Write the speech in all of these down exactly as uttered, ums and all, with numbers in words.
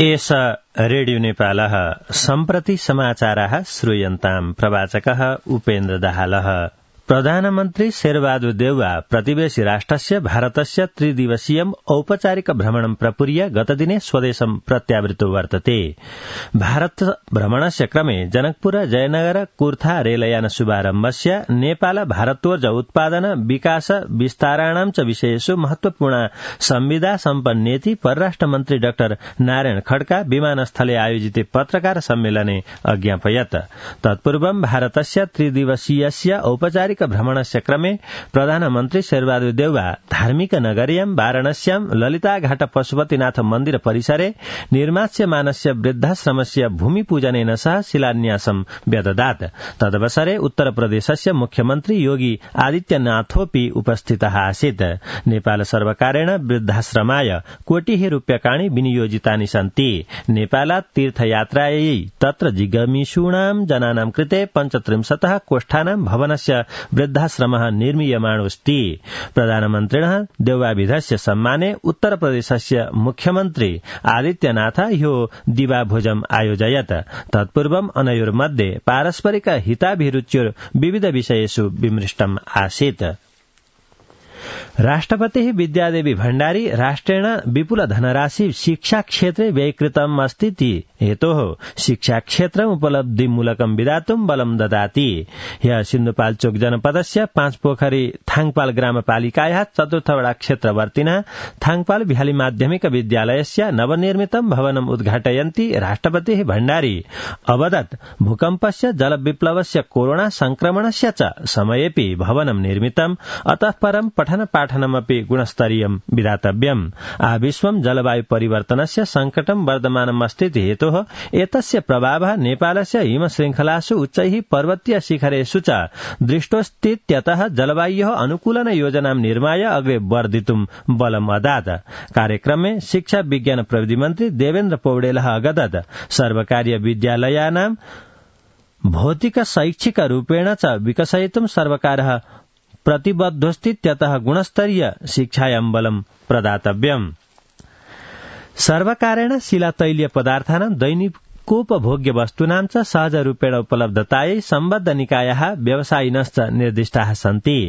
एष रेडियो नेपालः सम्प्रति समाचाराः श्रूयन्ताम् प्रवाचकः उपेन्द्र दाहालः। प्रधानमन्त्री शेरबहादुर देउवा प्रतिवेशी राष्ट्रस्य भारतस्य त्रिदिवसीयम् औपचारिक भ्रमणं प्रपूर्य गतदिने स्वदेशं प्रत्यावृतो वर्तते। भारत भ्रमणस्य क्रमे जनकपुर जयनगर कुर्था रेलयान शुभारम्भस्य नेपाल भारतोर्ज उत्पादन विकास विस्ताराणां च विषयेषु महत्वपूर्ण संविदा सम्पन्नेति परराष्ट्र मन्त्री डाक्टर नारायण खड्का विमानस्थले आयोजिते पत्रकार सम्मेलने अज्ञापयत्। तत्पूर्वं भारतस्य त्रिदिवसीयस्य औपचारिक भ्रमणस्य क्रमे प्रधानमन्त्री शेरबहादुर देउवा धार्मिक नगर्यां वाराणस्यां ललिताघाट पशुपतिनाथ मन्दिर परिसरे निर्मास्यमानस्य वृद्धाश्रमस्य भूमिपूजनेन सह शिलान्यासं व्यददात्। तदवसरे उत्तरप्रदेशस्य मुख्यमन्त्री योगी आदित्यनाथोऽपि उपस्थितः आसीत्। नेपाल सर्वकारेण वृद्धाश्रमाय कोटिः रूप्यकाणि विनियोजितानि सन्ति। नेपालात् तीर्थयात्रायै तत्र जिगमिषूणां जनानां कृते पञ्चत्रिंशतः कोष्ठानां भवनस्य वृद्धाश्रमः निर्मीयमाणोऽस्ति। प्रधानमन्त्रिणः देउवाविधस्य सम्माने उत्तरप्रदेशस्य मुख्यमन्त्री आदित्यनाथ ह्यो दिवाभोजम् आयोजयत्। तत्पूर्वम् अनयोर्मध्ये पारस्परिक हिताभिरुच्योर् विविध विषयेषु विमृष्टम् आसीत्। राष्ट्रपतिः विद्यादेवी भण्डारी राष्ट्रेण विपुल धनराशि शिक्षा क्षेत्रे व्ययीकृतम् अस्तीति हेतोः शिक्षा क्षेत्रम् उपलब्धिमूलकं विधातुं बलं ददाति। ह्यः सिन्धुपाल्चोक जनपदस्य पाँचपोखरी थाङपाल ग्रामपालिकायाः चतुर्थवडा क्षेत्रवर्तिनः थाङपाल बिहाली माध्यमिक विद्यालयस्य नवनिर्मितं भवनम् उद्घाटयन्ती राष्ट्रपतिः भण्डारी अवदत् भूकम्पस्य जलविप्लवस्य कोरोना संक्रमणस्य च समयेऽपि भवनं निर्मितम्, अतः परं पठन पाठनमपि गुणस्तरीयं विधातव्यम्। आविश्वं जलवायु परिवर्तनस्य संकटं वर्धमानमस्तीति हेतोः एतस्य प्रभावः नेपालस्य हिमशृङ्खलासु उच्चैः पर्वतीय शिखरेषु च दृष्टोऽस्तीत्यतः जलवायोः अनुकूलन योजनां निर्माय अग्रे वर्धितुं बलम् अदात्। कार्यक्रमे शिक्षा विज्ञान प्रविधि मन्त्री देवेन्द्र पौडेलः अगदत् सर्वकारीय विद्यालयानां भौतिक शैक्षिक रूपेण च विकसयितुं सर्वकारः प्रतिबद्धोऽस्तीत्यतः गुणस्तरीय शिक्षायां बलं प्रदातव्यम्। सर्वकारेण शिलातैलीय पदार्थानां दैनिकोपभोग्य वस्तूनां च सहज रूपेण उपलब्धतायै सम्बद्ध निकायाः व्यवसायिनश्च निर्दिष्टाः सन्ति।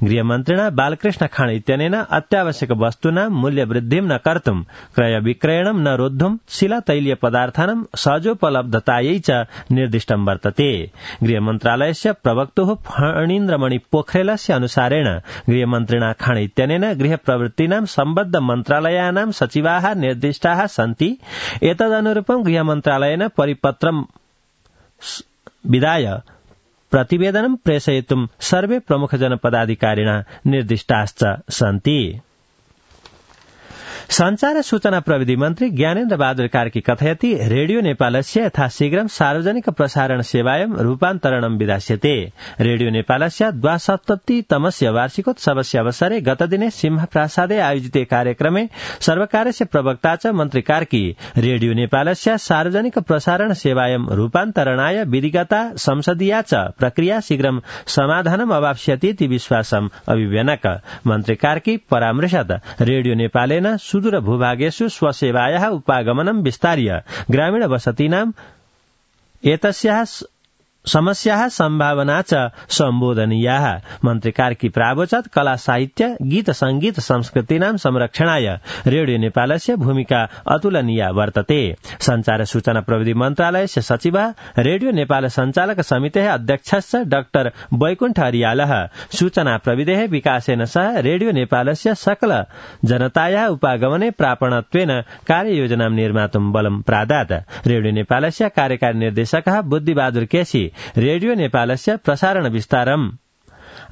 गृहमन्त्रिणा बालकृष्ण खाँड इत्यनेन अत्यावश्यक वस्तूनां मूल्यवृद्धिं न कर्तुं क्रय विक्रयणं न रोद्धुं शिलातैलीय पदार्थानां सहजोपलब्धतायै च निर्दिष्टं वर्तते। गृहमन्त्रालयस्य प्रवक्तुः फणीन्द्रमणि पोखरेलस्य अनुसारेण गृहमन्त्रिणा खाँड इत्यनेन गृहप्रवृत्तीनां सम्बद्ध मन्त्रालयानां सचिवाः निर्दिष्टाः सन्ति। एतदनुरूपं गृहमन्त्रालयेन परिपत्रं विधाय प्रतिवेदनं प्रेषयितुं सर्वे प्रमुख जनपदाधिकारिणः निर्दिष्टाश्च सन्ति। संचार सूचना प्रविधि मन्त्री ज्ञानेन्द्र बहादुर कार्की कथयति रेडियो नेपालस्य यथाशीघ्रं सार्वजनिक प्रसारण सेवायां रूपान्तरणं विधास्यते। रेडियो नेपालस्य द्वासप्ततितमस्य वार्षिकोत्सवस्य अवसरे गतदिने सिंहप्रासादे आयोजिते कार्यक्रमे सर्वकारस्य प्रवक्ता च मन्त्री कार्की रेडियो नेपालस्य सार्वजनिक प्रसारण सेवायां रूपान्तरणाय विधिगता संसदीया च प्रक्रिया शीघ्रं समाधानम् अवाप्स्यतीति विश्वासम् अभिव्यनक। मन्त्री कार्की परामृशत् रेडियो नेपालेन सुदूर भूभागेषु स्वसेवायाः उपागमनं विस्तार्य ग्रामीण वसतीनां एतस्याः समस्याः सम्भावना च सम्बोधनीयाः। मन्त्री कार्की प्रावोचत् कला साहित्य गीत संगीत संस्कृतीनां संरक्षणाय रेडियो नेपालस्य भूमिका अतुलनीया वर्तते। संचार सूचना प्रविधि मन्त्रालयस्य सचिवः रेडियो नेपाल सञ्चालक समितेः अध्यक्षश्च डाक्टर वैकुण्ठ अरियालः सूचना प्रविधेः विकासेन सह रेडियो नेपालस्य सकल जनतायाः उपागमने प्रापणत्वेन कार्ययोजनां निर्मातुं बलं प्रादात्। रेडियो नेपालस्य कार्यकारी निर्देशकः बुद्धिबहादुर केसी रेडियो नेपालस्य प्रसारण विस्तारम्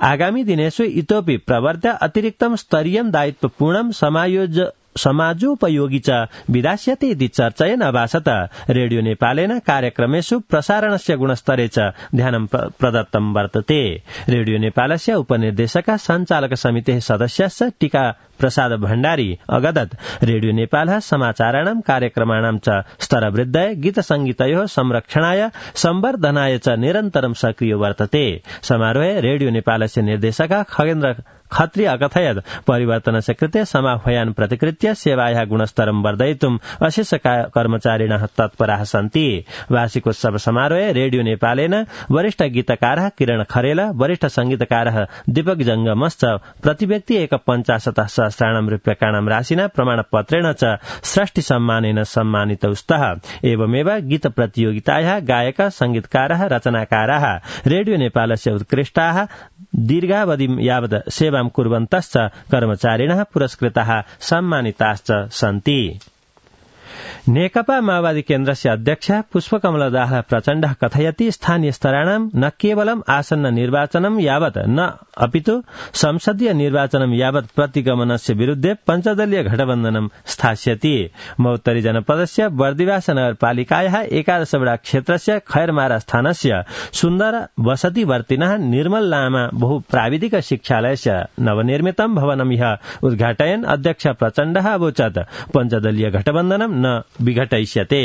आगामी दिनेषु इतोपि प्रवर्ध्य अतिरिक्तं स्तरीयं दायित्वपूर्णं समायोज समाजोपयोगी च विधास्यते इति चर्चयन् अभासत। रेडियो नेपालेन कार्यक्रमेषु प्रसारणस्य गुणस्तरे च ध्यानं प्रदत्तं वर्तते। रेडियो नेपालस्य उपनिर्देशकः सञ्चालक समितेः सदस्यश्च टीका प्रसाद भण्डारी अगदत् रेडियो नेपालः समाचाराणां कार्यक्रमाणां च स्तरवृद्धये गीतसंगीतयोः संरक्षणाय संवर्धनाय च निरन्तरं सक्रियो वर्तते। समारोहे रेडियो नेपालस्य निर्देशकः खगेन्द्र खत्री अकथयत् परिवर्तनस्य कृते समाह्वयान् प्रतिकृत्य सेवायाः गुणस्तरं वर्धयितुम् अशेष कर्मचारिणः तत्पराः सन्ति। वार्षिकोत्सव समारोहे रेडियो नेपालेन वरिष्ठ गीतकारः किरण खरेल, वरिष्ठ संगीतकारः दीपक जंगमश्च प्रतिव्यक्ति एक पञ्चाशत् सहस्राणां रूप्यकाणां राशिना प्रमाणपत्रेण च षष्ठी सम्मानेन सम्मानितौ स्तः। एवमेव गीत प्रतियोगितायाः गायक संगीतकारः रचनाकाराः रेडियो नेपालस्य उत्कृष्टाः दीर्घावधि यावत् सेवां कुर्वन्तश्च कर्मचारिणः पुरस्कृताः सम्मानिताश्च सन्ति। नेकपा माओवादी केन्द्रस्य अध्यक्ष पुष्पकमलदास प्रचण्डः कथयति स्थानीय स्तराणां न केवलम् आसन्न निर्वाचनं यावत् न अपितु संसदीय निर्वाचनं यावत् प्रतिगमनस्य विरुद्धे पञ्चदलीय गठबन्धनं स्थास्यति। महोत्तरी जनपदस्य बर्दिवास नगरपालिकायाः एकादश वडा क्षेत्रस्य खैरमारा स्थानस्य सुन्दर वसतिवर्तिनः निर्मल लामा बहुप्राविधिक शिक्षालयस्य नवनिर्मितं भवनं ह्यः उद्घाटयन् अध्यक्ष प्रचण्डः अवोचत् पञ्चदलीय गठबन्धनं न विघटयिष्यते।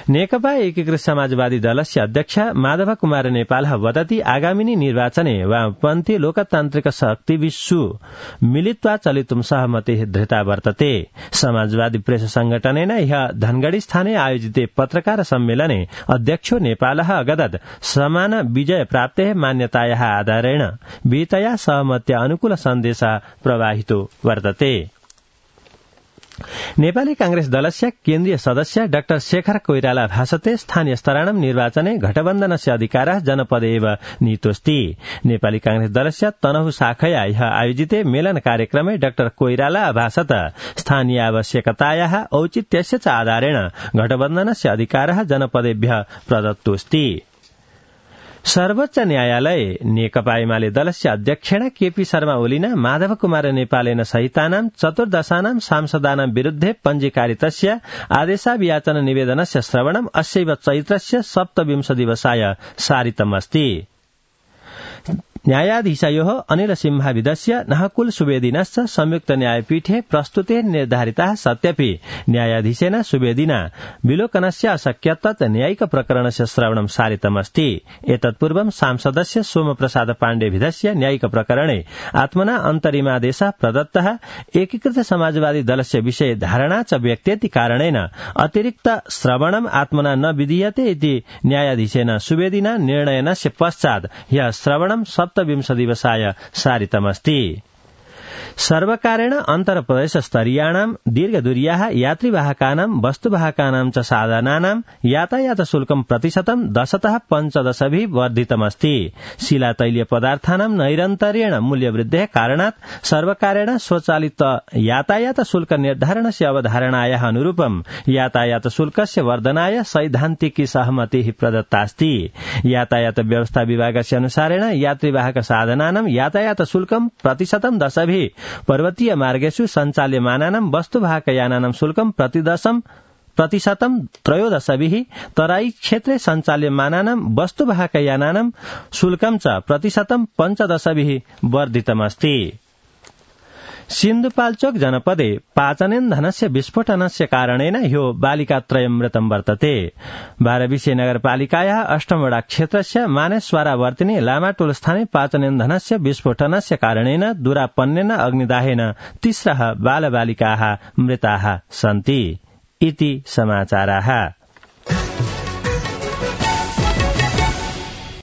नेकपा एकीकृत समाजवादी दलस्य अध्यक्ष माधव कुमार नेपालः वदति आगामिनी निर्वाचने वामपन्थी लोकतान्त्रिक शक्तिभिषु मिलित्वा चलितुं सहमतिः धृता वर्तते। समाजवादी प्रेस संगठनेन ह्यः धनगढ़ी स्थाने आयोजिते पत्रकार सम्मेलने अध्यक्षो नेपालः अगदत् समान विजय प्राप्तेः मान्यतायाः आधारेण विहितया सहमत्या अनुकूल सन्देशः प्रवाहितो वर्तते। नेपाली कांग्रेस दलस्य केन्द्रीय सदस्य डाक्टर शेखर कोइराला भाषते स्थानीय स्तराणां निर्वाचने गठबन्धनस्य अधिकारः जनपदे एव नीतोऽस्ति। नेपाली कांग्रेस दलस्य तनहु शाखया ह्यः आयोजिते मेलन कार्यक्रमे डाक्टर कोइराला अभाषत स्थानीय आवश्यकतायाः औचित्यस्य च आधारेण गठबन्धनस्य अधिकारः जनपदेभ्यः प्रदत्तोऽस्ति। सर्वोच्च न्यायालये नेकपा एमाले दलस्य अध्यक्षेण केपी शर्मा ओलीना माधव कुमार नेपालेन सहितानां चतुर्दशानां सांसदानां विरुद्धे पञ्जीकारितस्य आदेशाभियाचन निवेदनस्य श्रवणम् अस्यैव चैत्रस्य सप्तविंश दिवसाय सारितमस्ति। न्यायाधीशयोः अनिल सिंहाविदस्य नहकुल सुवेदिनश्च संयुक्त न्यायपीठे प्रस्तुते निर्धारिताः सत्यपि न्यायाधीशेन सुवेदिना विलोकनस्य अशक्यत्वात् न्यायिक प्रकरणस्य श्रवणं सारितमस्ति। एतत्पूर्वं सांसदस्य सोमप्रसाद पाण्डेभिधस्य न्यायिक प्रकरणे आत्मना अन्तरिमादेशः प्रदत्तः एकीकृत समाजवादी दलस्य विषये धारणा च व्यक्तेति कारणेन अतिरिक्त श्रवणम् आत्मना न विधीयते इति न्यायाधीशेन सुवेदिना निर्णयनस्य पश्चात् ह्यः श्रवणं सप्तविंश दिवसाय सारितमस्ति। सर्वकारेण अन्तरप्रदेश स्तरीयाणां दीर्घदूर्याः यात्रिवाहकानां वस्तुवाहकानां च साधनानां यातायात शुल्कं प्रतिशतं दशतः पञ्चदशभिः वर्धितमस्ति। शिलातैलीय पदार्थानां नैरन्तर्येण मूल्यवृद्धेः कारणात् सर्वकारेण स्वचालित यातायात शुल्क निर्धारणस्य अवधारणायाः अनुरूपं यातायात शुल्कस्य वर्धनाय सैद्धान्तिकी सहमतिः प्रदत्तास्ति। यातायात व्यवस्था विभागस्य अनुसारेण यात्रिवाहक साधनानां यातायात शुल्कं प्रतिशतं दशभिः पर्वतीय मार्गेषु सञ्चाल्यमानानां वस्तुवाहकयानानां शुल्कं प्रतिदशं प्रतिशतं त्रयोदशभिः तराई क्षेत्रे सञ्चाल्यमानानां वस्तुवाहकयानानां शुल्कं च प्रतिशतं पञ्चदशभिः वर्धितमस्ति। सिन्धुपाल्चोक जनपदे पाचनेन्धनस्य विस्फोटनस्य कारणेन ह्यो बालिकात्रयं मृतं वर्तते। बारविसे नगरपालिकायाः अष्टमवडा क्षेत्रस्य मानेश्वरावर्तिने लामाटोल स्थाने पाचनेन्धनस्य विस्फोटनस्य कारणेन दुरापन्नेन अग्निदाहेन तिस्रः बालबालिकाः मृताः सन्ति। इति समाचाराः।